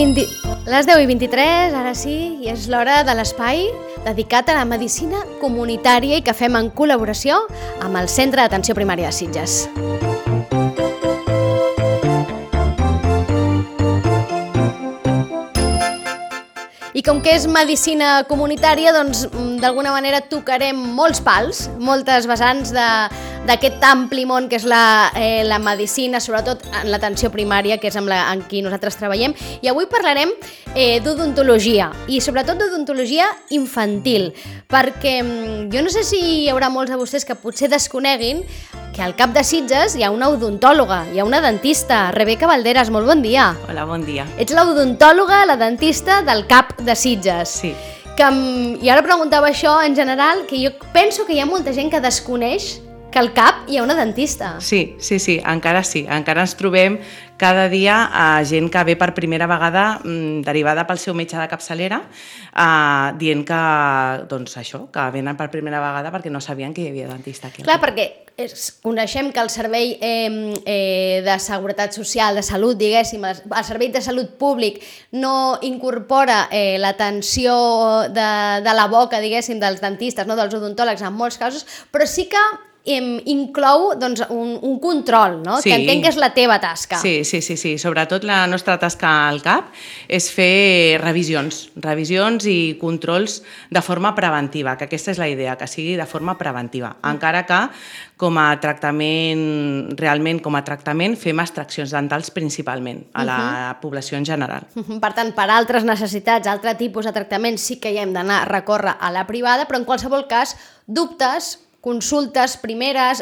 Les 10:23, ara sí, i és l'hora de l'espai dedicat a la medicina comunitària i que fem en col·laboració amb el Centre d'Atenció Primària de Sitges. I com que és medicina comunitària, doncs d'alguna manera tocarem molts pals, moltes vessants d'aquest ampli món que és la medicina, sobretot en l'atenció primària, que és en qui nosaltres treballem. I avui parlarem d'odontologia, i sobretot d'odontologia infantil, perquè jo no sé si hi haurà molts de vostès que potser desconeguin que al CAP de Sitges hi ha una odontòloga, hi ha una dentista. Rebeca Valderas, molt bon dia. Hola, bon dia. Ets l'odontòloga, la dentista del CAP de Sitges. Sí. I ara preguntava això en general, que jo penso que hi ha molta gent que desconeix que al CAP hi ha una dentista. Sí, encara sí. Encara ens trobem cada dia gent que ve per primera vegada derivada pel seu metge de capçalera dient que, doncs això, que venen per primera vegada perquè no sabien que hi havia dentista aquí. Clar, perquè coneixem que el Servei de Seguretat Social, de Salut, diguéssim, el Servei de Salut Públic no incorpora l'atenció de la boca, diguéssim, dels dentistes, no, dels odontòlegs en molts casos, però sí que inclou doncs, un control, no? Sí. Que entenc que és la teva tasca. Sí. Sobretot la nostra tasca al CAP és fer revisions i controls de forma preventiva, que aquesta és la idea, que sigui de forma preventiva. Encara que realment com a tractament fem extraccions dentals principalment a la població en general. Per tant, per altres necessitats, altre tipus de tractaments sí que hi hem d'anar a recórrer a la privada, però en qualsevol cas, dubtes, consultes primeres,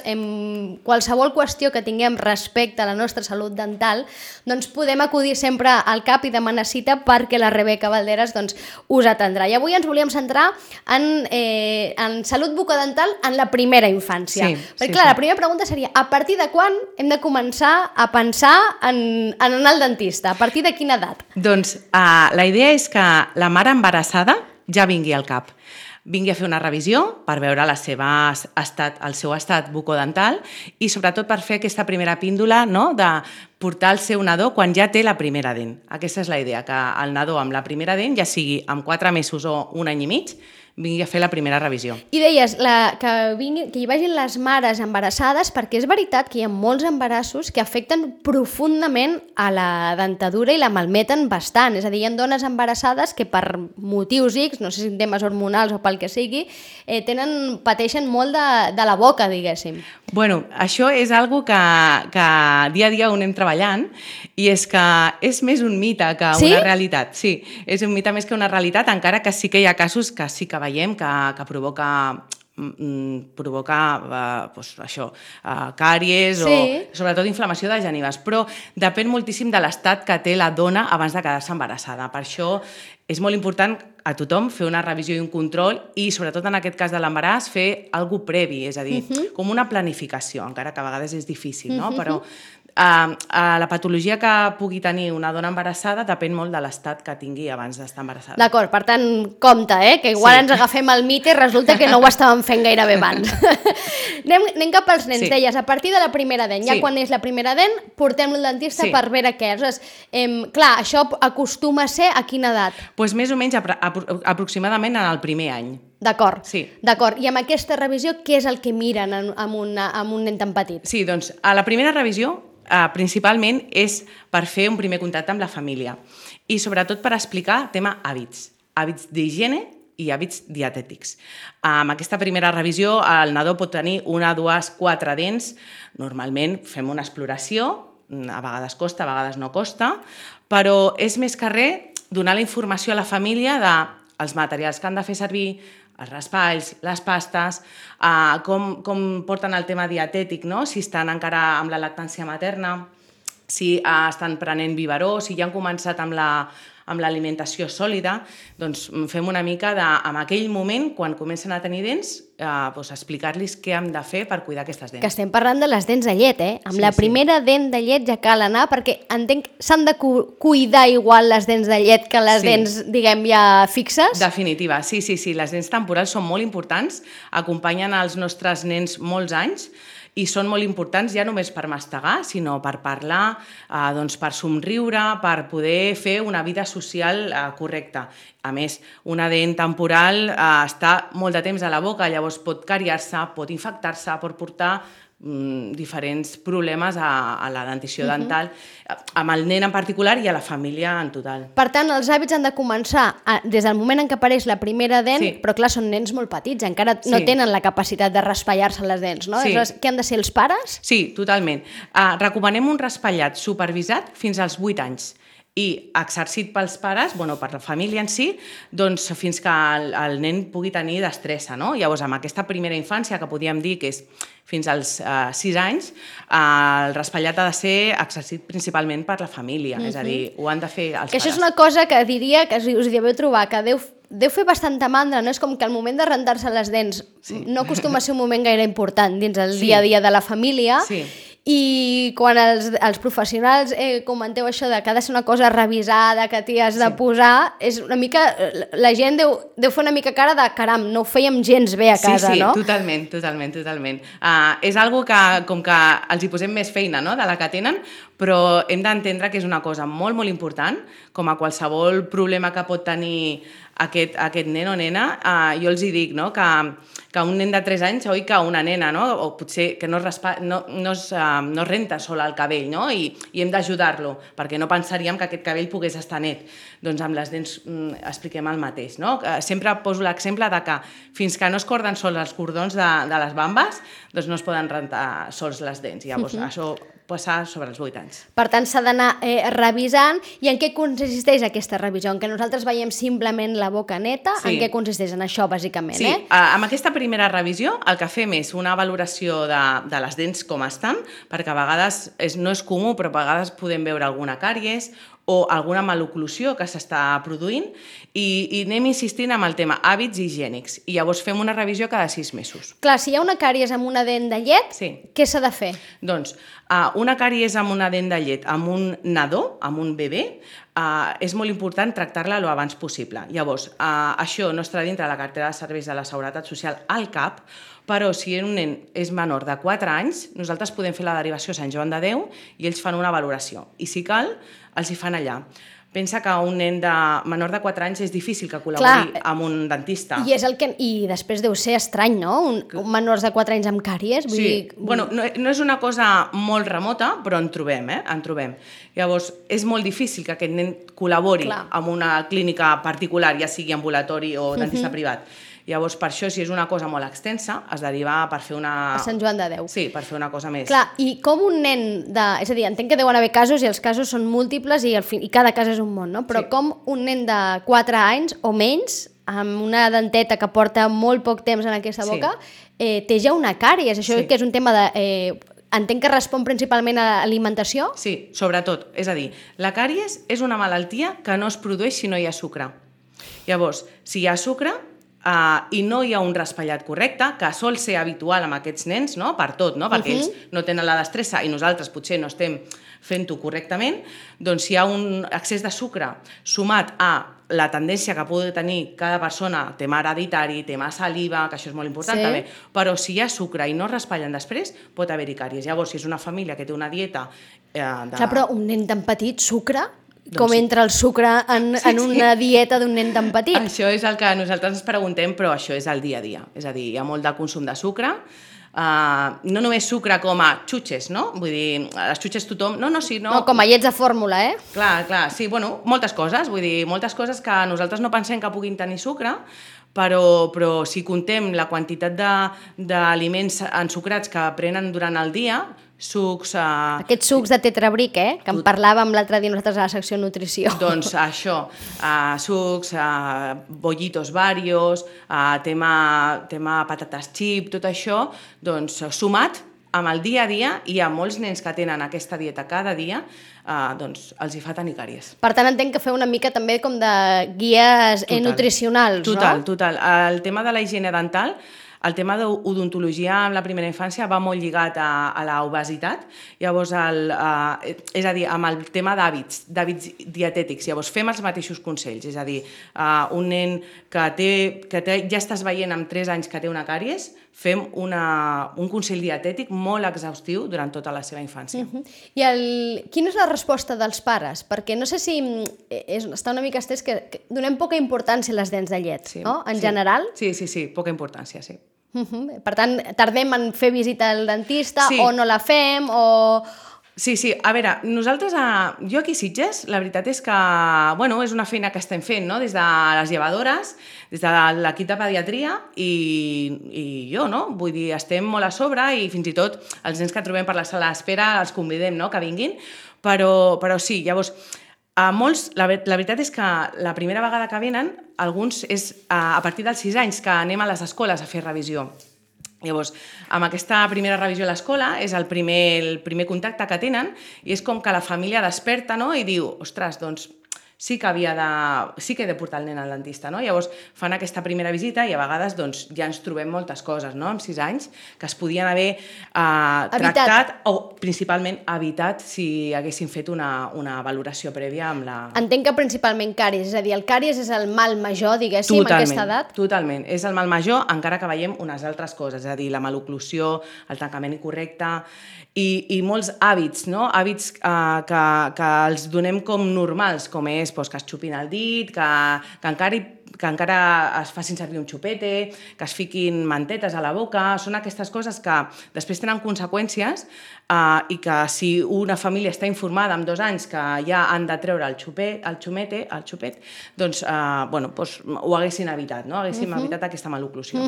qualsevol qüestió que tinguem respecte a la nostra salut dental, doncs podem acudir sempre al CAP i demanar cita perquè la Rebeca Valderas doncs, us atendrà. I avui ens volíem centrar en salut bucodental en la primera infància. Perquè clar, la primera pregunta seria, a partir de quan hem de començar a pensar en anar al dentista? A partir de quina edat? Doncs la idea és que la mare embarassada ja vingui al CAP. Vingui a fer una revisió per veure el seu estat bucodental i sobretot per fer aquesta primera píndola, no?, de portar el seu nadó quan ja té la primera dent. Aquesta és la idea, que el nadó amb la primera dent, ja sigui amb 4 mesos o 1 any i mig, vingui a fer la primera revisió. I deies que hi vagin les mares embarassades, perquè és veritat que hi ha molts embarassos que afecten profundament a la dentadura i la malmeten bastant. És a dir, hi ha dones embarassades que per motius X, no sé si temes hormonals o pel que sigui, pateixen molt de la boca, diguéssim. Bueno, això és algo que dia a dia ho anem treballant i és que és més un mite que una realitat. Sí, és un mite més que una realitat, encara que sí que hi ha casos que sí que veiem que provoca càries o sobretot inflamació de genives, però depèn moltíssim de l'estat que té la dona abans de quedar-se embarassada. Per això és molt important a tothom fer una revisió i un control i sobretot en aquest cas de l'embaràs fer alguna cosa previ, és a dir, com una planificació, encara que a vegades és difícil, no? Però la patologia que pugui tenir una dona embarassada depèn molt de l'estat que tingui abans d'estar embarassada. D'acord, per tant, compte, que igual ens agafem el mite i resulta que no ho estàvem fent gairebé abans. Anem cap als nens, deies, a partir de la primera dent. Ja quan és la primera dent, portem-lo al dentista per veure què és. Clar, això acostuma a ser a quina edat? Doncs més o menys aproximadament en el primer any. D'acord. I amb aquesta revisió, què és el que miren amb un nen tan petit? Sí, doncs a la primera revisió principalment és per fer un primer contacte amb la família i sobretot per explicar tema hàbits d'higiene i hàbits dietètics. Amb aquesta primera revisió el nadó pot tenir 1, 2, 4 dents. Normalment fem una exploració, a vegades costa, a vegades no costa, però és més que res donar la informació a la família dels materials que han de fer servir, els raspalls, les pastes, com porten el tema dietètic, no? Si estan encara amb la lactància materna, si estan prenent biberó, si ja han començat amb l'alimentació sòlida, doncs fem una mica en aquell moment, quan comencen a tenir dents, explicar-los què hem de fer per cuidar aquestes dents. Que estem parlant de les dents de llet, Amb la primera dent de llet ja cal anar, perquè entenc que s'han de cuidar igual les dents de llet que les dents, diguem, ja fixes? Definitiva, sí. Les dents temporals són molt importants, acompanyen els nostres nens molts anys i són molt importants ja només per mastegar, sinó per parlar, doncs per somriure, per poder fer una vida social correcta. A més, una dent temporal està molt de temps a la boca, llavors pot cariar-se, pot infectar-se, pot portar diferents problemes a la dentició dental, amb el nen en particular i a la família en total. Per tant, els hàbits han de començar des del moment en què apareix la primera dent, però clar, són nens molt petits, encara no tenen la capacitat de raspallar-se les dents, no? Què han de ser els pares? Sí, totalment. Recomanem un raspallat supervisat fins als 8 anys i exercit pels pares, per la família en si, doncs fins que el nen pugui tenir destressa, no? Llavors, amb aquesta primera infància, que podríem dir que és fins als 6 anys, el raspallat ha de ser exercit principalment per la família, és a dir, ho han de fer els pares. Que això és una cosa que diria que us hi deveu trobar, que deu fer bastanta mandra, no? És com que el moment de rentar-se les dents no acostuma a ser un moment gaire important dins el dia a dia de la família, i quan els professionals comenteu això de que ha de ser una cosa revisada, que t'hi has de posar, és una mica, la gent deu fer una mica cara de caram, no ho fèiem gens bé a casa, no? Sí, totalment. És algo que, com que els hi posem més feina, no?, de la que tenen, però hem d'entendre que és una cosa molt, molt important, com a qualsevol problema que pot tenir aquest nen o nena. Jo els hi dic, no?, que un nen de 3 anys, oi, que una nena, no?, o potser que no es renta sola el cabell, no?, i hem d'ajudar-lo, perquè no pensaríem que aquest cabell pogués estar net. Doncs amb les dents expliquem el mateix, no? Sempre poso l'exemple de que fins que no es corden sols els cordons de les bambes, doncs no es poden rentar sols les dents. Llavors, això passar sobre els 8 anys. Per tant, s'ha d'anar revisant. I en què consisteix aquesta revisió? En què nosaltres veiem simplement la boca neta? En què consisteix? En això, bàsicament, Sí, amb aquesta primera revisió el que fem és una valoració de les dents com estan, perquè a vegades no és comú, però a vegades podem veure alguna càries o alguna maloclusió que s'està produint, i anem insistint amb el tema hàbits higiènics, i llavors fem una revisió cada 6 mesos. Clar, si hi ha una càries amb una dent de llet, què s'ha de fer? Doncs una càries amb una dent de llet, amb un nadó, amb un bebè, és molt important tractar-la lo abans possible. Llavors, això no està dintre la cartera de serveis de la Seguretat Social al CAP, però si un nen és menor de 4 anys, nosaltres podem fer la derivació a Sant Joan de Déu i ells fan una valoració. I si cal, els hi fan allà. Pensa que un nen menor de 4 anys és difícil que col·labori amb un dentista. I després deu ser estrany, no? Un menors de 4 anys amb càries? No és una cosa molt remota, però en trobem. Llavors, és molt difícil que aquest nen col·labori amb una clínica particular, ja sigui ambulatori o dentista privat. Llavors, per això, si és una cosa molt extensa, es deriva per fer una... A Sant Joan de Déu. Sí, per fer una cosa més... Clar, i com un nen de... És a dir, entenc que deuen haver casos i els casos són múltiples i cada cas és un món, no? Però com un nen de 4 anys o menys, amb una denteta que porta molt poc temps en aquesta boca, té ja una càries. Això que és un tema de... Entenc que respon principalment a l'alimentació? Sí, sobretot. És a dir, la càries és una malaltia que no es produeix si no hi ha sucre. Llavors, si hi ha sucre... i no hi ha un raspallat correcte, que sol ser habitual amb aquests nens, no?, per tot, no?, perquè ells no tenen la destressa i nosaltres potser no estem fent-ho correctament, doncs si hi ha un excés de sucre sumat a la tendència que pugui tenir cada persona, tema hereditari, tema saliva, que això és molt important també, però si hi ha sucre i no raspallen després, pot haver-hi càries. Llavors, si és una família que té una dieta... Clar, però un nen tan petit, sucre... Com entra el sucre en una dieta d'un nen tan petit? Això és el que nosaltres ens preguntem, però això és el dia a dia. És a dir, hi ha molt de consum de sucre, no només sucre com a xutxes, no? Vull dir, les xutxes tothom... No, com a llets de fórmula, Clar, sí, moltes coses, vull dir, moltes coses que nosaltres no pensem que puguin tenir sucre, però si contem la quantitat d'aliments ensucrats que prenen durant el dia, sucs... Aquests sucs de tetrabric, que en parlàvem l'altre dia nosaltres a la secció nutrició. Doncs això, sucs, bollitos varios, tema patates xip, tot això, doncs sumat amb el dia a dia, i hi ha molts nens que tenen aquesta dieta cada dia, doncs els hi fa tenir càries. Per tant, entenc que feu una mica també com de guies nutricionals, no? Total. El tema de la higiene dental el tema d'odontologia en la primera infància va molt lligat a l'obesitat, llavors, és a dir, amb el tema d'hàbits dietètics, llavors fem els mateixos consells, és a dir, un nen que ja estàs veient amb 3 anys que té una càries, fem un consell dietètic molt exhaustiu durant tota la seva infància. I quina és la resposta dels pares? Perquè no sé si està una mica estès que donem poca importància a les dents de llet, no? En general. Sí, poca importància, sí. Per tant, tardem en fer visita al dentista o no la fem o... Sí, a veure, nosaltres, jo aquí a Sitges, la veritat és que, bueno, és una feina que estem fent, no?, des de les llevadores, des de l'equip de pediatria i jo, no?, vull dir, estem molt a sobre i fins i tot els nens que trobem per la sala d'espera els convidem, no?, que vinguin, però sí, llavors, a molts, la veritat és que la primera vegada que venen, alguns és a partir dels 6 anys que anem a les escoles a fer revisió. Llavors, amb aquesta primera revisió a l'escola és el primer contacte que tenen i és com que la família desperta, no?, i diu, ostres, doncs sí que he de portar el nen al dentista, no? Llavors fan aquesta primera visita i a vegades doncs, ja ens trobem moltes coses, no?, amb 6 anys que es podien haver tractat o principalment evitat si haguessin fet una valoració prèvia amb la... Entenc que principalment càries, és a dir, el càries és el mal major, diguéssim, en aquesta edat? Totalment, és el mal major, encara que veiem unes altres coses, és a dir, la maloclusió, el tancament incorrecte i molts hàbits, no?, hàbits que els donem com normals, com és que es xupin el dit, que encara es facin servir un xupete, que es fiquin mantetes a la boca, són aquestes coses que després tenen conseqüències i que si una família està informada amb 2 anys que ja han de treure el xupet, doncs ho haguessin evitat, no? Haguéssim evitat aquesta maloclusió.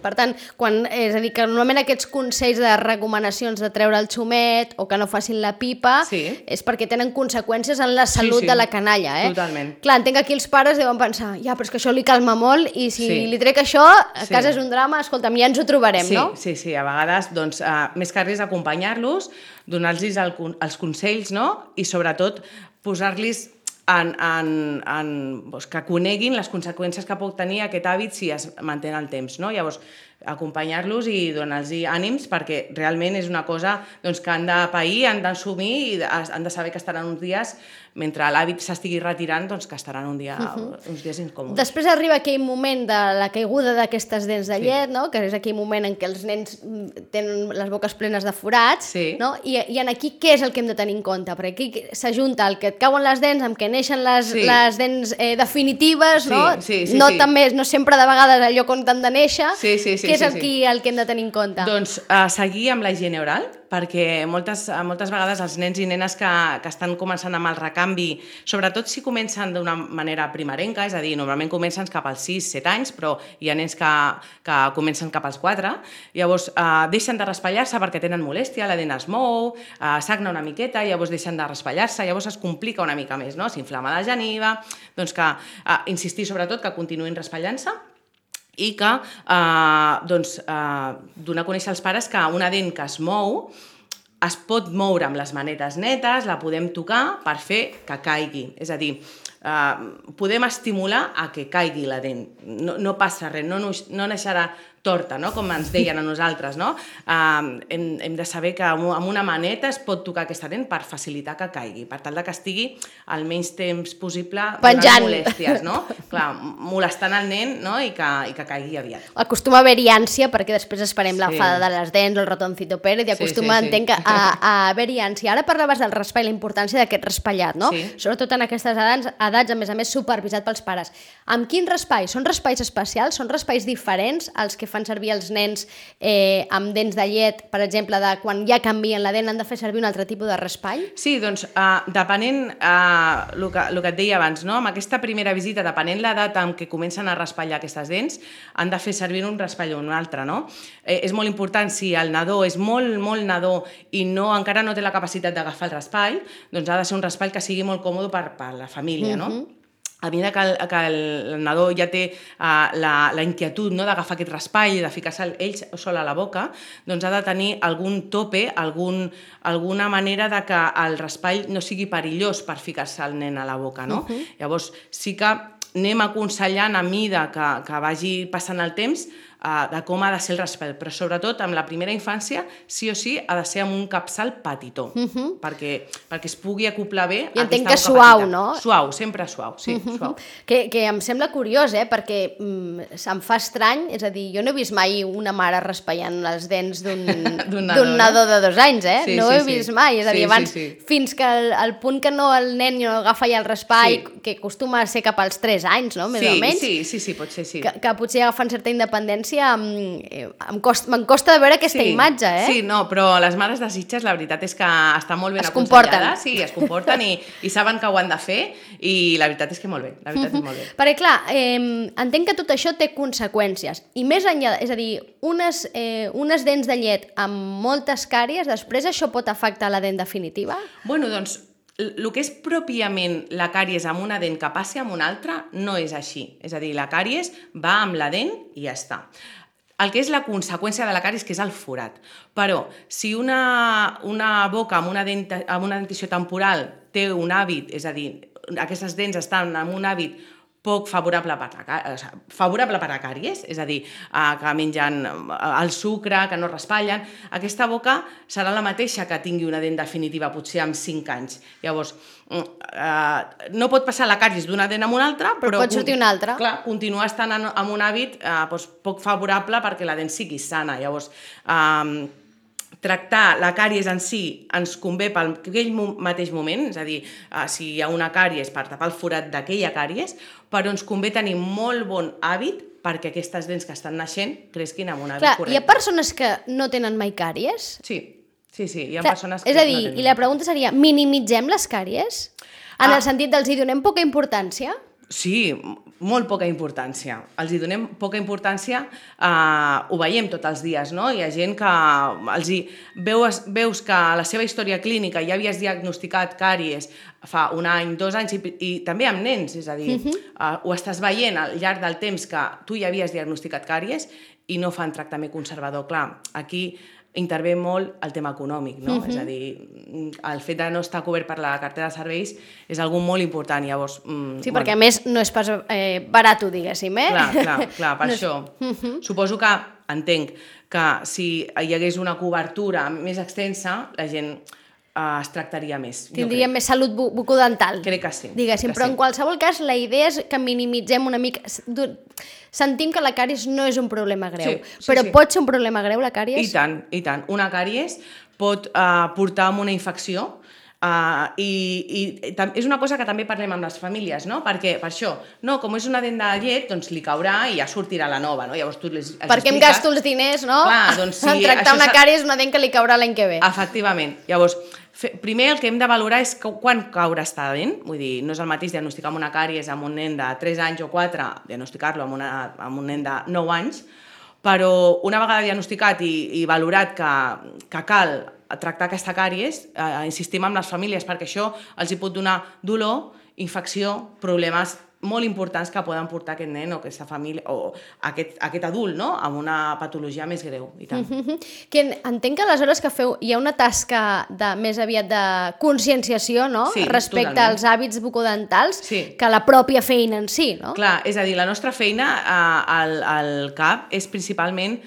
Per tant, és a dir, que normalment aquests consells de recomanacions de treure el xumet o que no facin la pipa és perquè tenen conseqüències en la salut de la canalla, Totalment. Clar, entenc que aquí els pares deuen pensar, ja, però és que això li calma molt i si li trec això, a casa és un drama, escolta'm, ja ens ho trobarem, no? Sí, a vegades, doncs, més que res acompanyar-los, donar-los els consells, no?, i sobretot posar-los que coneguin les conseqüències que pot tenir aquest hàbit si es manté en el temps, no? Llavors, acompanyar-los i donar-los ànims perquè realment és una cosa que han de pair, han d'assumir i han de saber que estaran uns dies, mentre l'hàbit s'estigui retirant, que estaran uns dies incòmodes. Després arriba aquell moment de la caiguda d'aquestes dents de llet, no?, que és aquell moment en què els nens tenen les boques plenes de forats, no? I aquí què és el que hem de tenir en compte? Perquè aquí s'ajunta el que et cauen les dents amb què neixen les dents definitives, no? No sempre de vegades allò on t'han de néixer. Què és el que hem de tenir en compte? Doncs seguir amb la higiene oral, perquè moltes vegades els nens i nenes que estan començant amb el recanvi, sobretot si comencen d'una manera primerenca, és a dir, normalment comencen cap als 6-7 anys, però hi ha nens que comencen cap als 4, llavors deixen de raspallar-se perquè tenen molèstia, la dent es mou, sagna una miqueta, llavors deixen de raspallar-se, llavors es complica una mica més, no? S'inflama la geniva, doncs que insistir sobretot que continuïn raspallant-se i que donar a conèixer als pares que una dent que es mou es pot moure amb les manetes netes, la podem tocar per fer que caigui. És a dir, podem estimular a que caigui la dent. No passa res, no naixerà torta, no?, com ens deien a nosaltres, no? Hem de saber que amb una maneta es pot tocar aquesta dent per facilitar que caigui, per tal que estigui el menys temps possible penjant, molèsties, no? Clar, molestant el nen, no?, i que caigui aviat. Acostuma a haver-hi ànsia perquè després esperem la fada de les dents o el ratoncito Pérez i acostuma, entenc, a haver-hi ànsia. Ara parlaves del raspall, la importància d'aquest raspallat, no? Sobretot en aquestes edats, a més a més, supervisat pels pares. Amb quin raspall? Són raspalls especials? Són raspalls diferents als que fan servir els nens amb dents de llet, per exemple, de quan ja canvien la dent, han de fer servir un altre tipus de raspall? Sí, doncs, depenent el que et deia abans, no? Amb aquesta primera visita, depenent l'edat en què comencen a raspallar aquestes dents, han de fer servir un raspall o un altre, no? És molt important, si el nadó és molt nadó i encara no té la capacitat d'agafar el raspall, doncs ha de ser un raspall que sigui molt còmode per la família, no? A mesura que el nadó ja té la inquietud, no?, d'agafar aquest raspall i de ficar-se ell sol a la boca, doncs ha de tenir algun tope, alguna manera de que el raspall no sigui perillós per ficar-se el nen a la boca, no? Llavors sí que anem aconsellant a mida que vagi passant el temps de com ha de ser el raspall, però sobretot amb la primera infància, sí o sí, ha de ser amb un capçal petitó, perquè es pugui acoplar bé. I entenc que suau, no? Suau, sempre suau, sí, suau. Que em sembla curiós, perquè se'm fa estrany, és a dir, jo no he vist mai una mare raspallant les dents d'un nadó de 2 anys, Sí, no ho he vist mai, és a dir, abans, fins que el punt que no el nen no agafa ja el raspall, que acostuma a ser cap als 3 anys, no?, més o menys. Sí, pot ser, sí. Que potser agafen certa independència, me'n costa de veure aquesta imatge, Sí, no, però les mares de Sitges, la veritat és que estan molt ben aconsellades. Sí, es comporten i saben que ho han de fer, i la veritat és que molt bé, la veritat és molt bé. Perquè, clar, entenc que tot això té conseqüències, i més enllà, és a dir, unes dents de llet amb moltes càries, després això pot afectar la dent definitiva? Bueno, doncs, el que és pròpiament la càries amb una dent que passi amb una altra no és així. És a dir, la càries va amb la dent i ja està. El que és la conseqüència de la càries, que és el forat. Però, si una boca amb una dentició temporal té un hàbit, és a dir, aquestes dents estan en un hàbit poc favorable per a càries, és a dir, que mengen el sucre, que no raspallen, aquesta boca serà la mateixa que tingui una dent definitiva, potser amb 5 anys. Llavors, no pot passar la càries d'una dent a una altra, però pot sortir una altra. Clar, continua estant en un hàbit poc favorable perquè la dent sigui sana. Llavors, tractar la càries en si ens convé per aquell mateix moment, és a dir, si hi ha una càries per tapar el forat d'aquella càries, però ens convé tenir molt bon hàbit perquè aquestes dents que estan naixent cresquin amb un hàbit correcte. Clar, hi ha persones que no tenen mai càries? Sí, hi ha persones que no tenen. És a dir, i la pregunta seria, minimitzem les càries? En el sentit dels hi donem poca importància? Sí, molt poca importància. Els hi donem poca importància, ho veiem tots els dies, no? Hi ha gent que veus que a la seva història clínica ja havies diagnosticat càries fa 1 any, 2 anys, i també amb nens, és a dir, ho estàs veient al llarg del temps que tu ja havies diagnosticat càries i no fan tractament conservador. Clar, aquí intervé molt el tema econòmic, no? És a dir, el fet de no estar cobert per la cartera de serveis és algo molt important, llavors... Sí, perquè a més no és pas barat, diguéssim, Clar, per això. Suposo que entenc que si hi hagués una cobertura més extensa, la gent es tractaria més. Tindria més salut bucodental. Crec que sí. Diguéssim, però en qualsevol cas la idea és que minimitzem una mica... Sentim que la càries no és un problema greu, però pot ser un problema greu la càries? I tant. Una càries pot portar a una infecció i és una cosa que també parlem amb les famílies, no? Perquè per això, no, com és una dent de llet, doncs li caurà i ja sortirà la nova, no? Llavors tu els expliques... Perquè em gasto els diners, no? Clar, doncs sí. En tractar una càries una dent que li caurà l'any que ve. Efectivament. Llavors, primer el que hem de valorar és quan caurà esta dent, vull dir, no és el mateix diagnosticar amb una càries amb un nen de 3 anys o 4, diagnosticar-lo amb un nen de 9 anys, però una vegada diagnosticat i valorat que cal tractar aquesta càries, insistim amb les famílies perquè això els hi pot donar dolor, infecció, problemes molt importants que poden portar aquest nen o aquesta família o aquest adult, no?, amb una patologia més greu. I tant. Que entenc que aleshores que feu hi ha una tasca més aviat de conscienciació, no?, respecte als hàbits bucodentals que la pròpia feina en si, no? Clar, és a dir, la nostra feina al CAP és principalment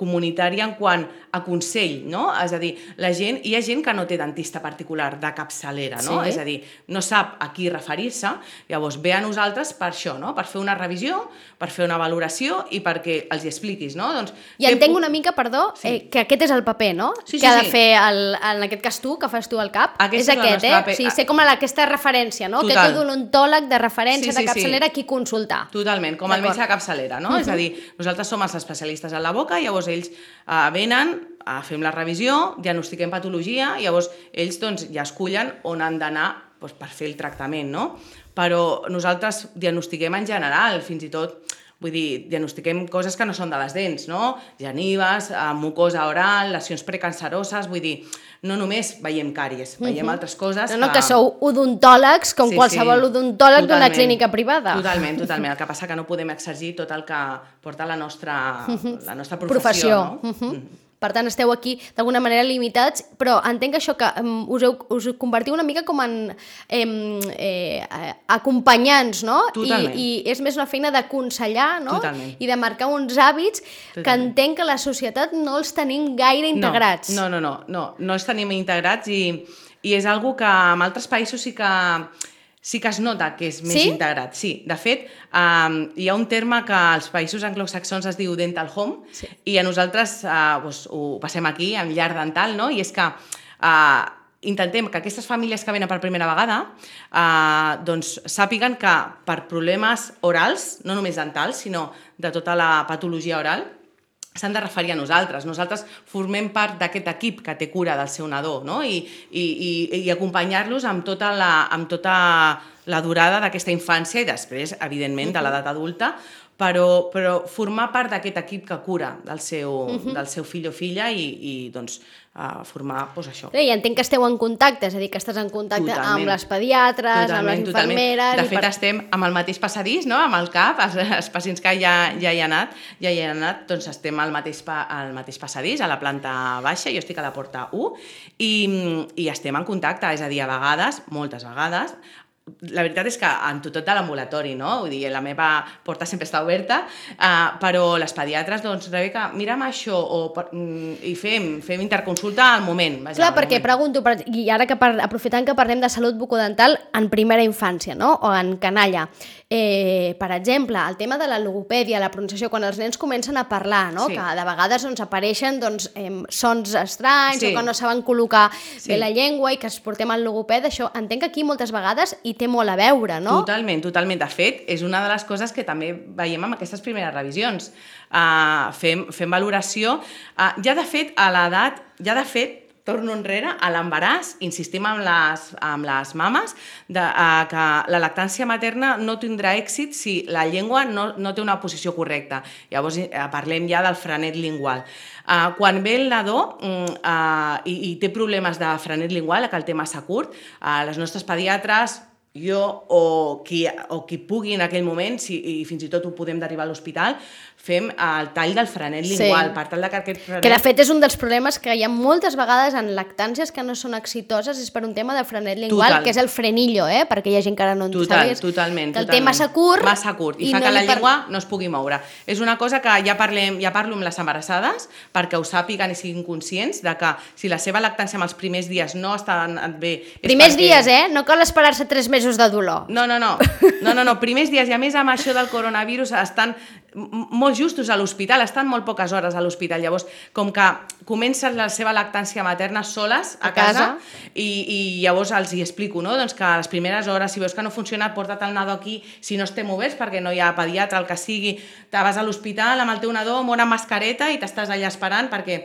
comunitària en quant a consell, no? És a dir, hi ha gent que no té dentista particular de capçalera, no? És a dir, no sap a qui referir-se, llavors ve a nosaltres per això, no? Per fer una revisió, per fer una valoració i perquè els hi expliquis, no? I entenc una mica, perdó, que aquest és el paper, no? Que ha de fer, en aquest cas tu, que fas tu al CAP, és aquest, Sí, ser com aquesta referència, no? Aquest odontòleg de referència de capçalera a qui consultar. Totalment, com el metge de capçalera, no? És a dir, nosaltres som els especialistes a la boca, llavors ells venen, fem la revisió, diagnostiquem patologia, llavors ells ja escullen on han d'anar per fer el tractament, no? Però nosaltres diagnostiquem en general, fins i tot, vull dir, diagnostiquem coses que no són de les dents, no? Genives, mucosa oral, lesions precanceroses, vull dir, no només veiem càries, veiem altres coses. No, que sou odontòlegs com qualsevol odontòleg d'una clínica privada. Totalment. El que passa que no podem exercir tot el que porta la nostra professió. Per tant, esteu aquí d'alguna manera limitats, però entenc que això que us convertiu una mica com en acompanyants, no? Totalment. I és més una feina d'aconsellar, no? Totalment. I de marcar uns hàbits que entenc que la societat no els tenim gaire integrats. No els tenim integrats i és algo que en altres països sí que es nota que és més integrat. Sí, de fet, hi ha un terme que als països anglosaxons es diu dental home i a nosaltres ho passem aquí, en llar dental, no? I és que intentem que aquestes famílies que venen per primera vegada doncs sàpiguen que per problemes orals, no només dentals, sinó de tota la patologia oral, s'han de referir a nosaltres. Nosaltres formem part d'aquest equip que té cura del seu nadó, no? I acompanyar-los amb tota la durada d'aquesta infància i després, evidentment, de l'edat adulta, però formar part d'aquest equip que cura del seu fill o filla i doncs formar això. I entenc que esteu en contacte, és a dir, que estàs en contacte amb les pediatres, amb les infermeres... De fet, estem amb el mateix passadís, no? Amb el CAP, els pacients que ja hi han anat, doncs estem al mateix passadís, a la planta baixa, jo estic a la porta 1, i estem en contacte, és a dir, a vegades, moltes vegades, la veritat és que en tot de l'ambulatori, no? Vull dir, la meva porta sempre està oberta, però les pediatres, doncs, Rebeca, mira'm això, i fem interconsulta al moment. Clar, perquè pregunto, i ara aprofitant que parlem de salut bucodental en primera infància, no? O en canalla, per exemple, el tema de la logopèdia, la pronunciació, quan els nens comencen a parlar, no? Que de vegades apareixen sons estranys o que no saben col·locar bé la llengua i que es portem al logoped, això entenc que aquí moltes vegades hi té molt a veure, no? Totalment. De fet, és una de les coses que també veiem amb aquestes primeres revisions. Fem valoració. Ja de fet, torno enrere, a l'embaràs, insistim amb les mames, que la lactància materna no tindrà èxit si la llengua no té una posició correcta. Llavors parlem ja del frenet lingual. Quan ve el nadó i té problemes de frenet lingual, que el té massa curt, les nostres pediatres, jo o qui pugui en aquell moment, i fins i tot ho podem derivar a l'hospital, fem el tall del frenet lingual, per tal que aquest frenet... Que de fet és un dels problemes que hi ha moltes vegades en lactàncies que no són exitoses, és per un tema de frenet lingual, que és el frenillo, perquè hi ha gent que ara no en sabies. Totalment. Que el té massa curt. I fa que la llengua no es pugui moure. És una cosa que ja parlo amb les embarassades, perquè ho sàpiguen i siguin conscients de que si la seva lactància en els primers dies no està bé... Primers dies, no cal esperar-se 3 mesos de dolor. No, primers dies, i a més amb això del coronavirus estan molt justos a l'hospital, estan molt poques hores a l'hospital, llavors com que comencen la seva lactància materna soles a casa i llavors els hi explico, no? Doncs que a les primeres hores, si veus que no funciona, porta't el nadó aquí, si no estem oberts perquè no hi ha pediatre, el que sigui, te vas a l'hospital amb el teu nadó amb una mascareta i t'estàs allà esperant perquè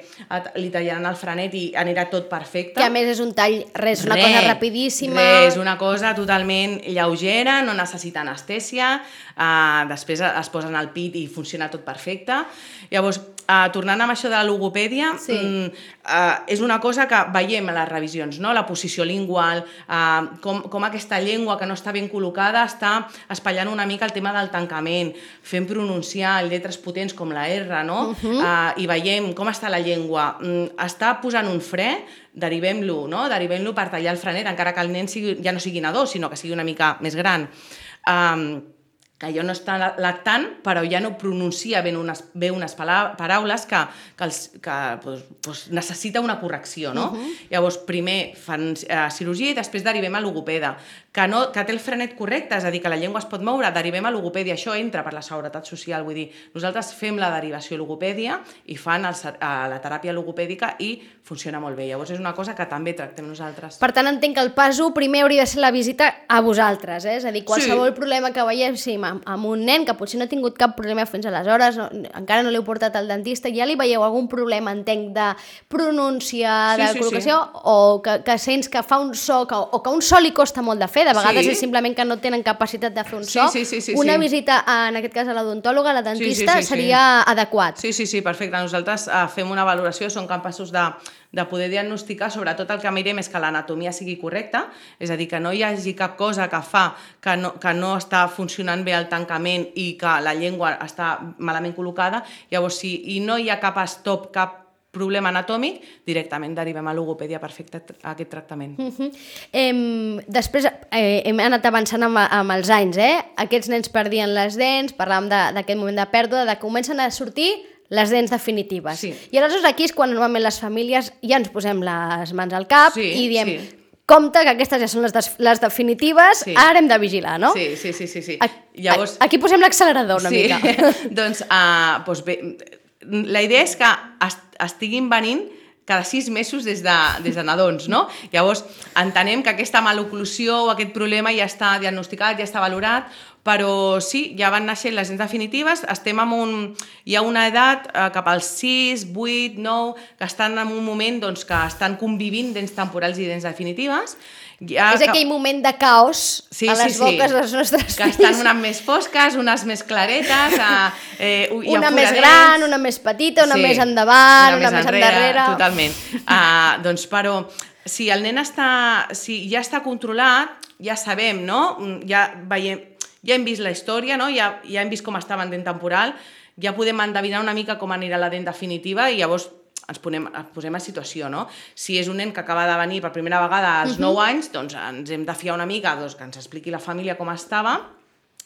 li tallaran el frenet i anirà tot perfecte. Que a més és un tall, una cosa rapidíssima. És una cosa totalment lleugera, no necessita anestèsia, després es posen al pit i funciona tot perfecte. Llavors, tornant amb això de la logopèdia, és una cosa que veiem a les revisions, no? La posició lingual, com aquesta llengua que no està ben col·locada està espatllant una mica el tema del tancament, fent pronunciar lletres potents com la R, no? I veiem com està la llengua. Està posant un fre, derivem-lo, no? Derivem-lo per tallar el frenet, encara que el nen ja no sigui nadó, sinó que sigui una mica més gran. Que ja no està lactant, però ja no pronuncia bé unes paraules que necessita una correcció, no? Llavors, primer fan cirurgia i després derivem a logopeda. Que té el frenet correcte, és a dir, que la llengua es pot moure, derivem a logopèdia. Això entra per la seguretat social, vull dir, nosaltres fem la derivació a logopèdia i fan la teràpia logopèdica i funciona molt bé. Llavors, és una cosa que també tractem nosaltres. Per tant, entenc que el pas 1 primer hauria de ser la visita a vosaltres, és a dir, qualsevol problema que veieu, amb un nen que potser no ha tingut cap problema fins aleshores, encara no l'heu portat al dentista, ja li veieu algun problema, entenc, de pronúncia, de col·locació, o que sents que fa un so, o que un so li costa molt de fer, de vegades és simplement que no tenen capacitat de fer un so. Una visita, en aquest cas a l'odontòloga, a la dentista, seria adequat. Sí, perfecte. Nosaltres fem una valoració, som capaços de poder diagnosticar, sobretot el que mirem és que l'anatomia sigui correcta, és a dir, que no hi hagi cap cosa que fa que no està funcionant bé el tancament i que la llengua està malament col·locada, llavors i no hi ha cap stop, cap problema anatòmic, directament derivem a logopèdia per fer aquest tractament. Després hem anat avançant amb els anys, Aquests nens perdien les dents, parlàvem d'aquest moment de pèrdua, de que comencen a sortir les dents definitives. Sí. I aleshores aquí és quan normalment les famílies ja ens posem les mans al cap i diem, compte que aquestes ja són les definitives, ara hem de vigilar, no? Sí. Llavors, aquí posem l'accelerador una mica. Doncs bé, la idea és que estiguin venint cada 6 mesos des de nadons, no? Llavors, entenem que aquesta maloclusió o aquest problema ja està diagnosticat, ja està valorat, però sí, ja van naixent les dents definitives, estem hi ha una edat cap als 6, 8, 9, que estan en un moment que estan convivint dents temporals i dents definitives. És aquell moment de caos a les boques dels nostres fills. Que estan unes més fosques, unes més claretes, una més gran, una més petita, una més endavant, una més endarrere. Totalment. Però si el nen ja està controlat, ja sabem, no? Ja hem vist la història, no? Ja hem vist com estava en dent temporal, ja podem endevinar una mica com anirà la dent definitiva i llavors ens posem a situació, no? Si és un nen que acaba de venir per primera vegada als 9 anys, doncs ens hem de fiar una mica, que ens expliqui la família com estava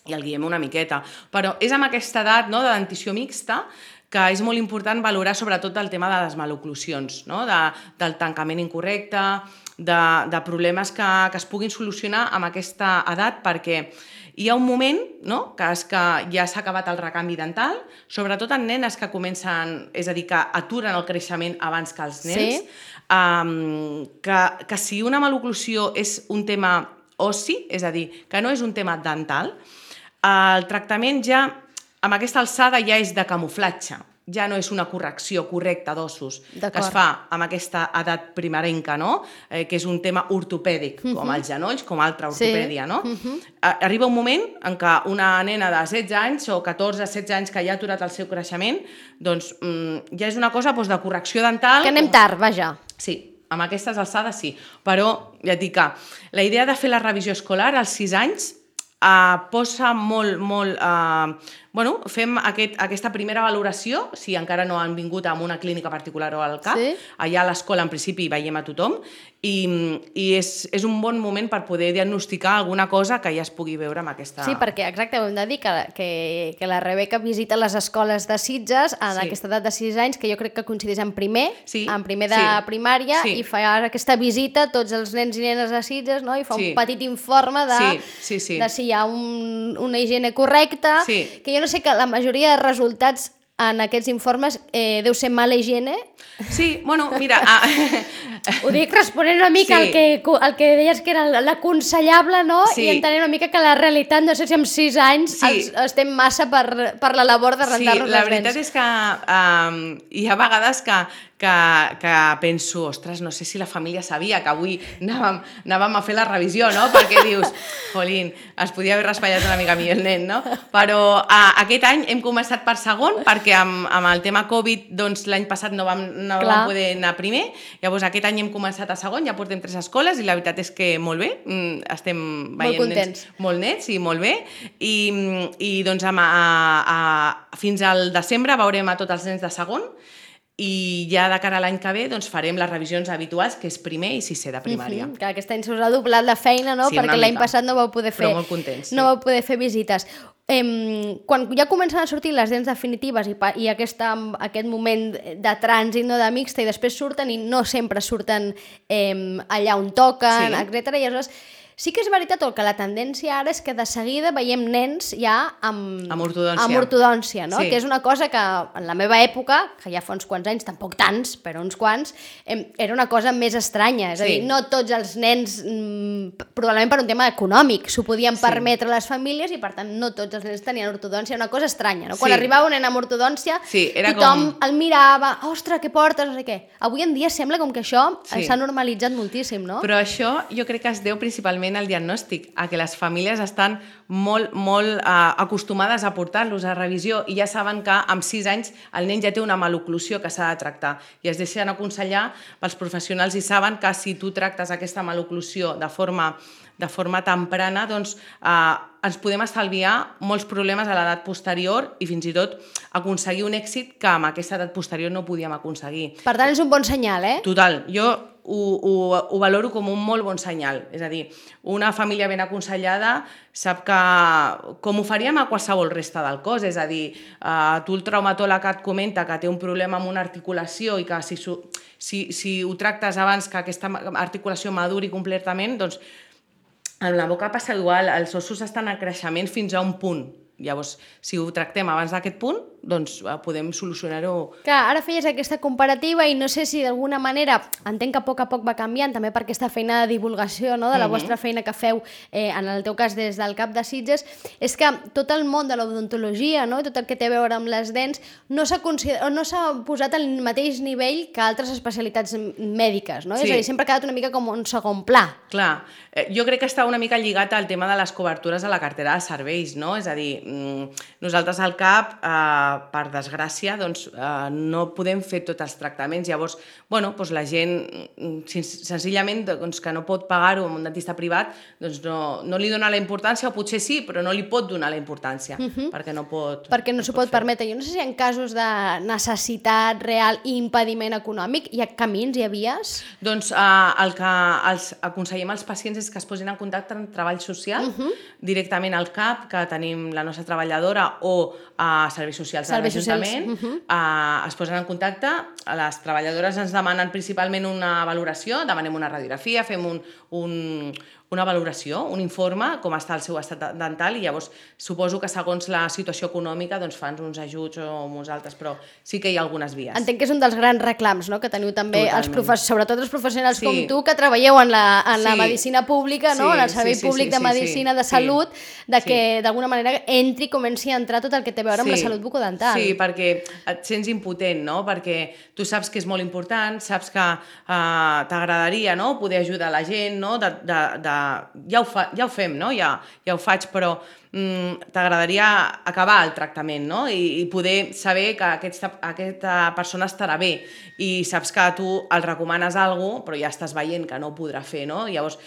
i el guiem una miqueta. Però és amb aquesta edat de dentició mixta que és molt important valorar sobretot el tema de les maloclusions, no? Del tancament incorrecte, de problemes que es puguin solucionar amb aquesta edat, perquè hi ha un moment, no?, que és que ja s'ha acabat el recanvi dental, sobretot en nenes que comencen, és a dir, que aturen el creixement abans que els nens, que si una maloclusió és un tema ossi, és a dir, que no és un tema dental, el tractament ja, amb aquesta alçada, ja és de camuflatge. Ja no és una correcció correcta d'ossos que es fa amb aquesta edat primerenca, no? Que és un tema ortopèdic, com els genolls, com altra ortopèdia, no? Arriba un moment en què una nena de 16 anys o 14-16 anys que ja ha aturat el seu creixement, doncs ja és una cosa de correcció dental. Que anem tard, vaja. Sí, amb aquestes alçades sí, però ja et dic que la idea de fer la revisió escolar als 6 anys posa molt... fem aquesta primera valoració, si encara no han vingut a una clínica particular o al CAP, allà a l'escola en principi veiem a tothom, i és un bon moment per poder diagnosticar alguna cosa que ja es pugui veure amb aquesta... Sí, perquè exacte, ho hem de dir que la Rebeca visita les escoles de Sitges en aquesta edat de 6 anys, que jo crec que coincideix en primer de primària, i fa aquesta visita a tots els nens i nenes de Sitges, no? I fa un petit informe de si hi ha una higiene correcta, que jo no sé que la majoria de resultats en aquests informes deu ser mala higiene. Sí, mira... Ho dic responent una mica al que deies que era l'aconsellable, no? I entenent una mica que la realitat, no sé si amb 6 anys estem massa per la labor de rentar-nos les dents. Sí, la veritat és que hi ha vegades que penso, ostres, no sé si la família sabia que avui anàvem a fer la revisió, no? Perquè dius, jolín, es podia haver raspallat una mica millor el nen, no? Però aquest any hem començat per segon, perquè amb el tema Covid, doncs l'any passat no vam poder anar primer, llavors aquest any hem començat a segon, ja portem 3 escoles i la veritat és que molt bé, estem veient nens molt nets i molt bé, i doncs fins al desembre veurem a tots els nens de segon, i ja de cara a l'any que ve doncs farem les revisions habituals, que és primer i sisè de primària. Que aquest any s'us ha doblat la feina, no? Perquè l'any passat no vau poder fer... Però molt contents, no vau poder fer visites. Quan ja comencen a sortir les dents definitives i aquest moment de trànsit, no, de mixta, i després surten i no sempre surten allà on toquen, etc. I aleshores sí que és veritat que la tendència ara és que de seguida veiem nens ja amb ortodòncia, no? Que és una cosa que en la meva època, que ja fa uns quants anys, tampoc tants, però uns quants, era una cosa més estranya. És a dir, no tots els nens, probablement per un tema econòmic, s'ho podien permetre les famílies i per tant no tots els nens tenien ortodòncia. Una cosa estranya, no? Quan arribava un nen amb ortodòncia, tothom el mirava, ostres, què portes, no sé què. Avui en dia sembla com que això s'ha normalitzat moltíssim, no? Però això jo crec que es deu principalment precisament el diagnòstic, a que les famílies estan molt acostumades a portar-los a revisió i ja saben que amb 6 anys el nen ja té una maloclusió que s'ha de tractar i es deixen aconsellar pels professionals i saben que si tu tractes aquesta maloclusió de forma temprana, doncs ens podem estalviar molts problemes a l'edat posterior i fins i tot aconseguir un èxit que amb aquesta edat posterior no podíem aconseguir. Per tant, és un bon senyal, eh? Total, jo ho valoro com un molt bon senyal. És a dir, una família ben aconsellada sap que, com ho faríem a qualsevol resta del cos, és a dir, tu el traumatòleg et comenta que té un problema amb una articulació i que si ho tractes abans que aquesta articulació maduri completament, doncs amb la boca passa igual, els ossos estan en creixement fins a un punt. Llavors, si ho tractem abans d'aquest punt, doncs podem solucionar-ho. Clar, ara feies aquesta comparativa i no sé si d'alguna manera, entenc que a poc va canviant, també per aquesta feina de divulgació, no?, de la vostra feina que feu, en el teu cas des del CAP de Sitges, és que tot el món de l'odontologia, no?, tot el que té a veure amb les dents, no s'ha posat al mateix nivell que altres especialitats mèdiques, no? Sí. És a dir, sempre ha quedat una mica com un segon pla. Clar, jo crec que està una mica lligat al tema de les cobertures a la cartera de serveis, no? És a dir, nosaltres al CAP, per desgràcia, doncs, no podem fer tots els tractaments. Llavors, bueno, doncs la gent, senzillament, doncs, que no pot pagar-ho amb un dentista privat, doncs no li dona la importància, o potser sí, però no li pot donar la importància, perquè no pot... Perquè no s'ho pot permetre. Jo no sé si en casos de necessitat real i impediment econòmic hi ha camins, hi ha vies? Doncs el que els aconsellem als pacients és que es posin en contacte amb treball social, directament al CAP, que tenim la nostra treballadora, o a serveis socials de l'Ajuntament, es posen en contacte, les treballadores ens demanen principalment una valoració, demanem una radiografia, fem una valoració, un informe, com està el seu estat dental, i llavors suposo que segons la situació econòmica doncs fan uns ajuts o uns altres, però sí que hi ha algunes vies. Entenc que és un dels grans reclams, no?, que teniu també, sobretot els professionals com tu, que treballeu en la medicina pública, no?, en el Servei Públic de Medicina de Salut, que d'alguna manera entri i comenci a entrar tot el que té a veure amb la salut bucodental. Sí, perquè et sents impotent, no?, perquè tu saps que és molt important, saps que t'agradaria, no?, poder ajudar la gent, no?, ja ho fem, no?, ja ho faig, però t'agradaria acabar el tractament, no?, i poder saber que aquesta persona estarà bé i saps que tu el recomanes alguna cosa, però ja estàs veient que no ho podrà fer, no? Llavors,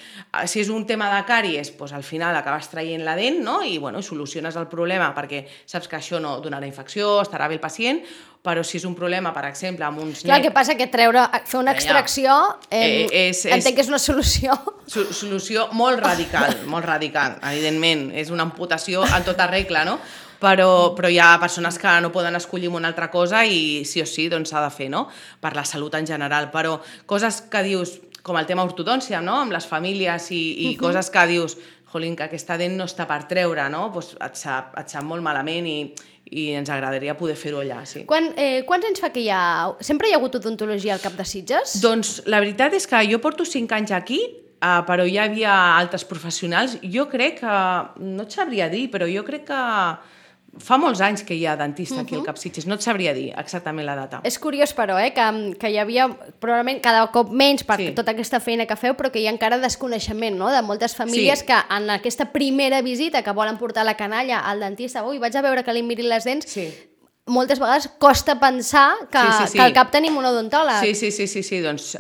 si és un tema de càries, doncs al final acabes traient la dent, no?, i soluciones el problema perquè saps que això no donarà infecció, estarà bé el pacient, però si és un problema, per exemple, amb uns... Clar, el que passa que fer una extracció, entenc que és una solució. Solució molt radical, evidentment. És una amputació en tota regla, no? Però hi ha persones que no poden escollir una altra cosa i sí o sí doncs s'ha de fer, no?, per la salut en general. Però coses que dius, com el tema ortodòncia, no?, amb les famílies i coses que dius, jolín, que aquesta dent no està per treure, no?, doncs et sap molt malament i ens agradaria poder fer-ho allà, sí. Quants anys fa que sempre hi ha hagut odontologia al CAP de Sitges? Doncs la veritat és que jo porto 5 anys aquí, però hi havia altres professionals. Jo crec que, no et sabria dir, però jo crec que fa molts anys que hi ha dentista aquí al CAP Sitges, no et sabria dir exactament la data. És curiós, però, que hi havia probablement cada cop menys per tota aquesta feina que feu, però que hi ha encara desconeixement, no?, de moltes famílies que en aquesta primera visita que volen portar la canalla al dentista, vaig a veure que li mirin les dents, moltes vegades costa pensar que al CAP tenim un odontòleg. Sí, doncs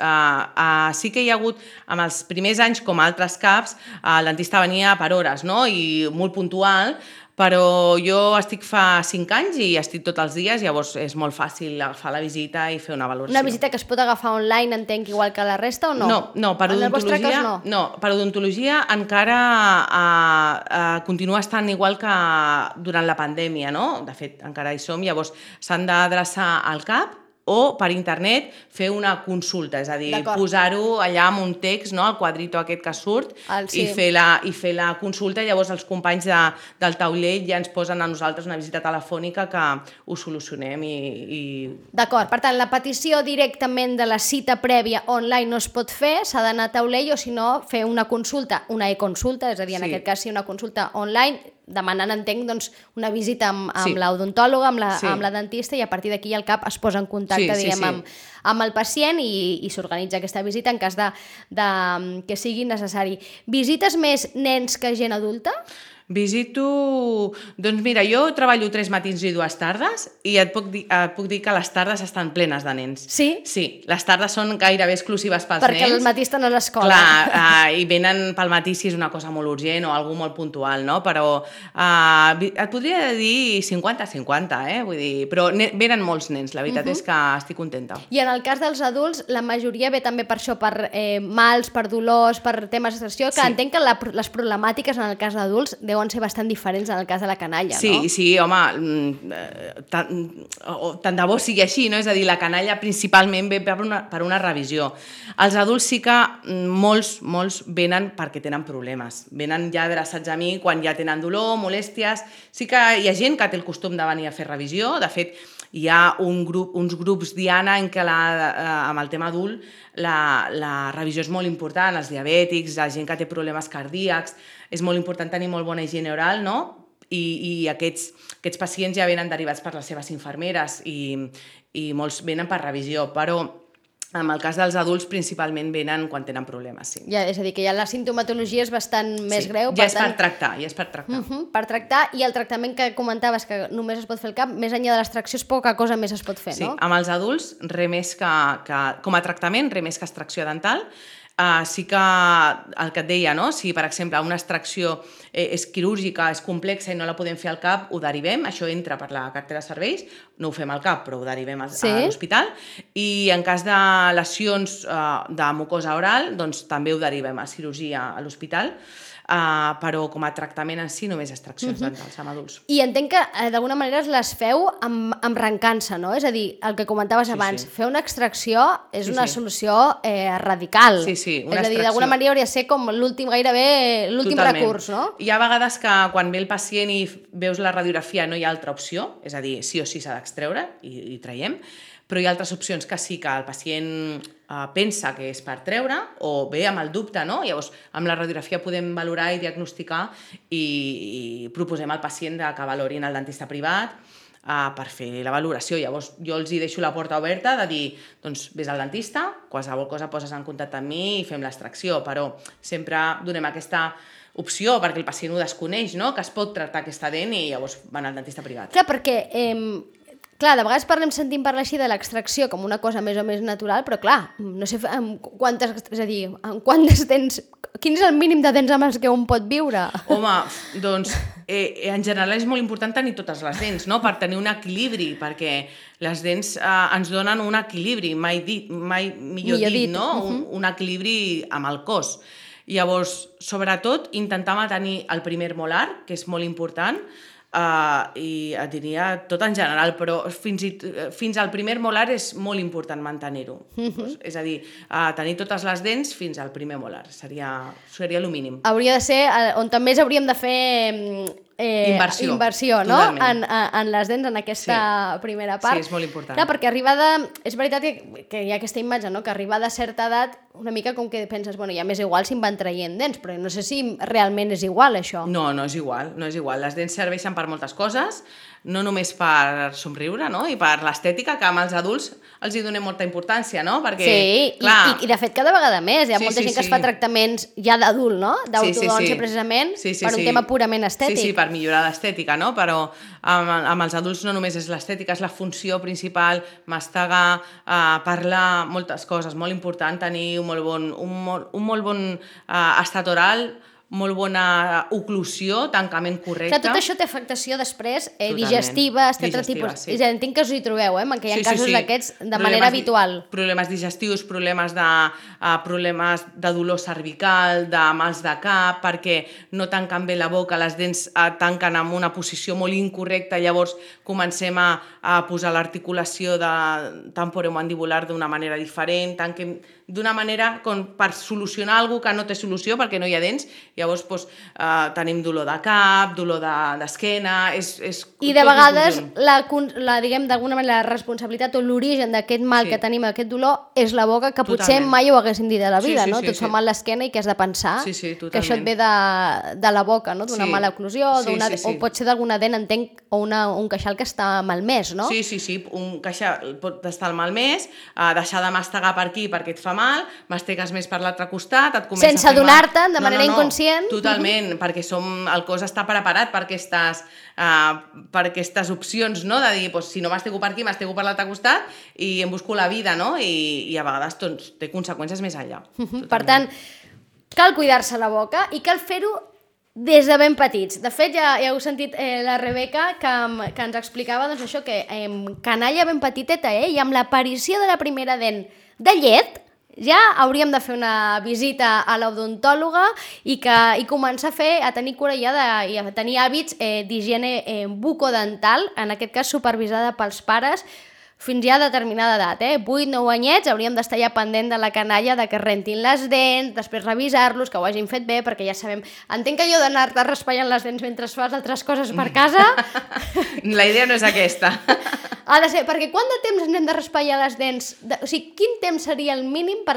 sí que hi ha hagut, en els primers anys, com altres CAPs, el dentista venia per hores, no?, i molt puntual, però jo estic fa 5 anys i estic tots els dies, llavors és molt fàcil agafar la visita i fer una valoració. Una visita que es pot agafar online, entenc, igual que la resta, o no? No, per odontologia no. Per odontologia encara continua estant igual que durant la pandèmia, no? De fet, encara hi som, llavors s'han d'adreçar al CAP o per internet fer una consulta, és a dir, posar-ho allà amb un text, no?, el quadrito aquest que surt, i fer la consulta, i llavors els companys del taulell ja ens posen a nosaltres una visita telefònica que ho solucionem i... D'acord, per tant, la petició directament de la cita prèvia online no es pot fer, s'ha d'anar a taulell o si no fer una consulta, una e-consulta, és a dir, en aquest cas sí, una consulta online, demanant, entenc, doncs, una visita amb l'odontòloga, amb la dentista, i a partir d'aquí el CAP es posa en contacte, amb el pacient i s'organitza aquesta visita en cas de que sigui necessari. Visites més nens que gent adulta? Visito... Doncs mira, jo treballo 3 matins i 2 tardes i et puc dir que les tardes estan plenes de nens. Sí? Sí, les tardes són gairebé exclusives pels Perquè nens. Perquè al matí estan a l'escola. Clar, i venen pel matí si és una cosa molt urgent o alguna molt puntual, no? Però et podria dir 50-50, Vull dir, però venen molts nens, la veritat és que estic contenta. I en el cas dels adults, la majoria ve també per això, per mals, per dolors, per temes d'extracció, que entenc que les problemàtiques en el cas d'adults deuen ser bastant diferents en el cas de la canalla, no? Sí, home, tant de bo sigui així, no? És a dir, la canalla principalment ve per una revisió. Els adults sí que molts venen perquè tenen problemes. Venen ja adreçats a mi quan ja tenen dolor, molèsties. Sí que hi ha gent que té el costum de venir a fer revisió. De fet, hi ha uns grups Diana en què amb el tema adult la revisió és molt important, els diabètics, la gent que té problemes cardíacs, és molt important tenir molt bona higiene oral, no? I aquests pacients ja venen derivats per les seves infermeres i molts venen per revisió, però en el cas dels adults principalment venen quan tenen problemes, sí. Ja, és a dir, que ja la sintomatologia és bastant més greu. Ja és per tractar. Per tractar, i el tractament que comentaves que només es pot fer al cap, més enllà de l'extracció és poca cosa més es pot fer, no? Sí, amb els adults, res més que com a tractament, res més que extracció dental. Sí que el que et deia, no? Si per exemple una extracció és quirúrgica, és complexa i no la podem fer al cap, ho derivem, això entra per la cartera de serveis, no ho fem al cap però ho derivem a l'hospital, i en cas de lesions de mucosa oral doncs també ho derivem a cirurgia a l'hospital, però com a tractament en si només extraccions dentals amb adults. I entenc que d'alguna manera les feu amb recança, no? És a dir, el que comentaves abans, fer una extracció és una solució radical. Sí, és una a dir, d'alguna manera hauria de ser com gairebé l'últim recurs, no? Hi ha vegades que quan ve el pacient i veus la radiografia no hi ha altra opció, és a dir, sí o sí s'ha d'extreure i traiem, però hi ha altres opcions que sí que el pacient pensa que és per treure o ve amb el dubte, no? Llavors, amb la radiografia podem valorar i diagnosticar i proposem al pacient que valorin el dentista privat per fer la valoració. Llavors, jo els hi deixo la porta oberta de dir, doncs, vés al dentista, qualsevol cosa poses en contacte amb mi i fem l'extracció, però sempre donem aquesta opció perquè el pacient ho desconeix, no? Que es pot tractar aquesta dent i llavors van al dentista privat. Clar, perquè... Clar, de vegades sentim parlar així de l'extracció com una cosa més o més natural, però clar, no sé quantes dents... Quin és el mínim de dents amb els que un pot viure? Home, doncs, en general és molt important tenir totes les dents, no? Per tenir un equilibri, perquè les dents ens donen un equilibri, mai millor dit, no? Un equilibri amb el cos. Llavors, sobretot, intentar mantenir el primer molar, que és molt important, i et diria tot en general, però fins al primer molar és molt important mantenir-ho. És a dir, tenir totes les dents fins al primer molar, seria el mínim. Hauria de ser on també hauríem de fer inversió, no? En les dents, en aquesta primera part. Sí, és molt important. Clar, perquè és veritat que hi ha aquesta imatge, no? Que arribada a certa edat, una mica com que penses, bueno, ja m'és igual si em van traient dents, però no sé si realment és igual, això. No és igual. Les dents serveixen per moltes coses, no només per somriure, no? I per l'estètica, que amb els adults els hi donem molta importància, no? Perquè, sí, clar... i de fet cada vegada més. Hi ha molta gent que es fa tractaments ja d'adult, no? D'autodòncia, precisament, per un tema purament estètic. Sí, per millorar l'estètica, no? Però amb els adults no només és l'estètica, és la funció principal, mastegar, parlar, moltes coses. Molt important tenir un molt bon estat oral, molt bona oclusió, tancament correcte. Clar, tot això té afectació després digestiva, etc. tipus. Sí. Entenc que us hi trobeu, que hi ha casos d'aquests de manera habitual. Problemes digestius, problemes de dolor cervical, de mals de cap, perquè no tanquen bé la boca, les dents tanquen en una posició molt incorrecta, llavors comencem a posar l'articulació temporomandibular d'una manera diferent, tanquem d'una manera com per solucionar alguna que no té solució perquè no hi ha dents, llavors tenim dolor de cap, dolor d'esquena... I de vegades, diguem, d'alguna manera, la responsabilitat o l'origen d'aquest mal que tenim, aquest dolor, és la boca, que potser mai ho haguéssim dit a la vida, no? Tu et fa mal l'esquena i que has de pensar que això et ve de la boca, no? D'una mala oclusió, o pot ser d'alguna dent, entenc, o un queixal que està malmès, no? Sí, un queixal pot estar malmès, deixar de mastegar per aquí perquè et fa mal, mastegues més per l'altre costat, et comença a fer mal... Sense adonar-te'n, de manera inconscient. Totalment, perquè el cos està preparat per aquestes opcions, no? De dir, si no mastego per aquí, mastego per l'altre costat i em busco la vida, no? I a vegades té conseqüències més enllà. Per tant, cal cuidar-se la boca i cal fer-ho des de ben petits. De fet, ja heu sentit la Rebeca que ens explicava doncs, això, que canalla ben petiteta, i amb l'aparició de la primera dent de llet, ja hauríem de fer una visita a l'odontòloga i començar a tenir cura i a tenir hàbits d'higiene bucodental, en aquest cas supervisada pels pares, fins ja a determinada edat, 8-9 anyets, hauríem d'estar ja pendent de la canalla, de que rentin les dents, després revisar-los, que ho hagin fet bé, perquè ja sabem... Entenc que allò d'anar-te raspallant les dents mentre fas altres coses per casa... La idea no és aquesta. Ha de ser, perquè quant de temps ens hem de raspallar les dents? O sigui, quin temps seria el mínim per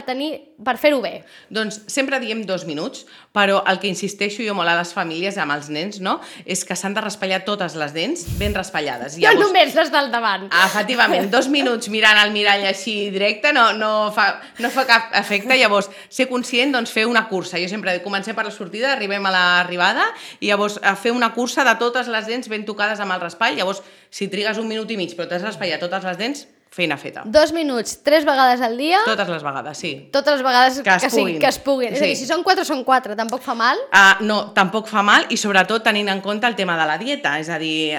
fer-ho bé? Doncs sempre diem 2 minuts, però el que insisteixo jo molt a les famílies, amb els nens, no? És que s'han de raspallar totes les dents ben raspallades. No només les del davant. Efectivament, 2 minuts mirant al mirall així directe no fa cap efecte. Llavors, ser conscient, doncs fer una cursa. Jo sempre comencem per la sortida, arribem a l'arribada i llavors fer una cursa de totes les dents ben tocades amb el raspall. Llavors, si trigues 1 minut i mig però t'has raspallat totes les dents, feina feta. 2 minuts, 3 vegades al dia? Totes les vegades, sí. Totes les vegades que es puguin. Sí. És a dir, si són 4, són 4, tampoc fa mal? No, tampoc fa mal, i sobretot tenint en compte el tema de la dieta, és a dir,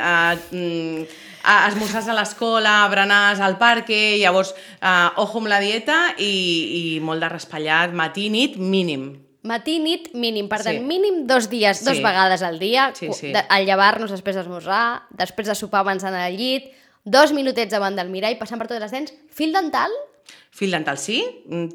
esmorzars a l'escola, berenars al parc, llavors, ojo amb la dieta i molt de raspallat, matí, nit, mínim. Matí, nit, mínim. Per tant, mínim 2 dies, 2 vegades al dia, al llevar-nos després d'esmorzar, després de sopar abans d'anar al llit, 2 minutets davant del mirall, passant per totes les dents. Fil dental? Fil dental, sí.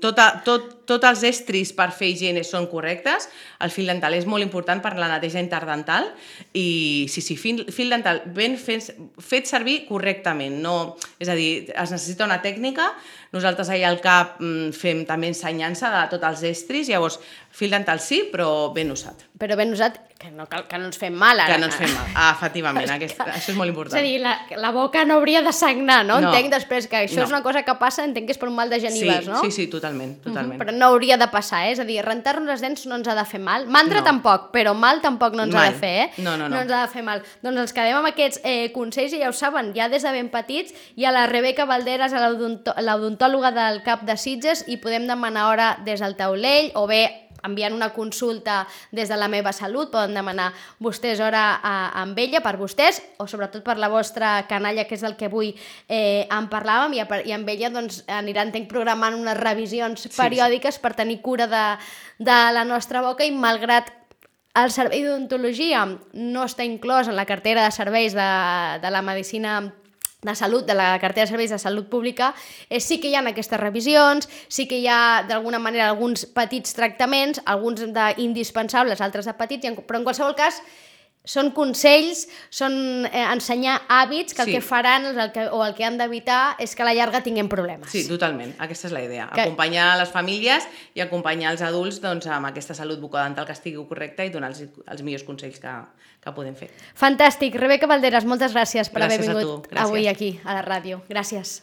Tots els estris per fer higiene són correctes. El fil dental és molt important per la neteja interdental i sí, fil dental ben fet servir correctament. No, és a dir, es necessita una tècnica. Nosaltres allà al CAP fem també ensenyança de tots els estris, llavors fil dental sí, però ben usat. Però ben usat, que no ens fem mal ara. Que no ens fem mal, efectivament, això és molt important. És a dir, la boca no hauria de sagnar, no? Entenc després que això és una cosa que passa, entenc que és per un mal de genives, no? Sí, totalment. Però no hauria de passar, és a dir, rentar-nos les dents no ens ha de fer mal, mandra tampoc, però mal tampoc no ens ha de fer, No ens ha de fer mal. Doncs ens quedem amb aquests consells i ja ho saben, ja des de ben petits hi ha la Rebeca Valderas, l'odontòloga del CAP de Sitges, i podem demanar hora des del taulell o bé enviant una consulta des de la meva salut, poden demanar vostès hora amb ella, per vostès, o sobretot per la vostra canalla, que és del que avui en parlàvem, i amb ella doncs, aniran programant unes revisions periòdiques per tenir cura de la nostra boca, i malgrat el servei d'odontologia no està inclòs en la cartera de serveis de la medicina de salut, de la cartera de serveis de salut pública, sí que hi ha aquestes revisions, sí que hi ha d'alguna manera alguns petits tractaments, alguns d'indispensables, altres de petits, però en qualsevol cas són consells, són ensenyar hàbits que el que faran o el que han d'evitar és que a la llarga tinguem problemes. Sí, totalment, aquesta és la idea. Acompanyar les famílies i acompanyar els adults amb aquesta salut bucodental que estigui correcta i donar els millors consells que podem fer. Fantàstic. Rebeca Valderas, moltes gràcies per haver vingut avui aquí a la ràdio. Gràcies.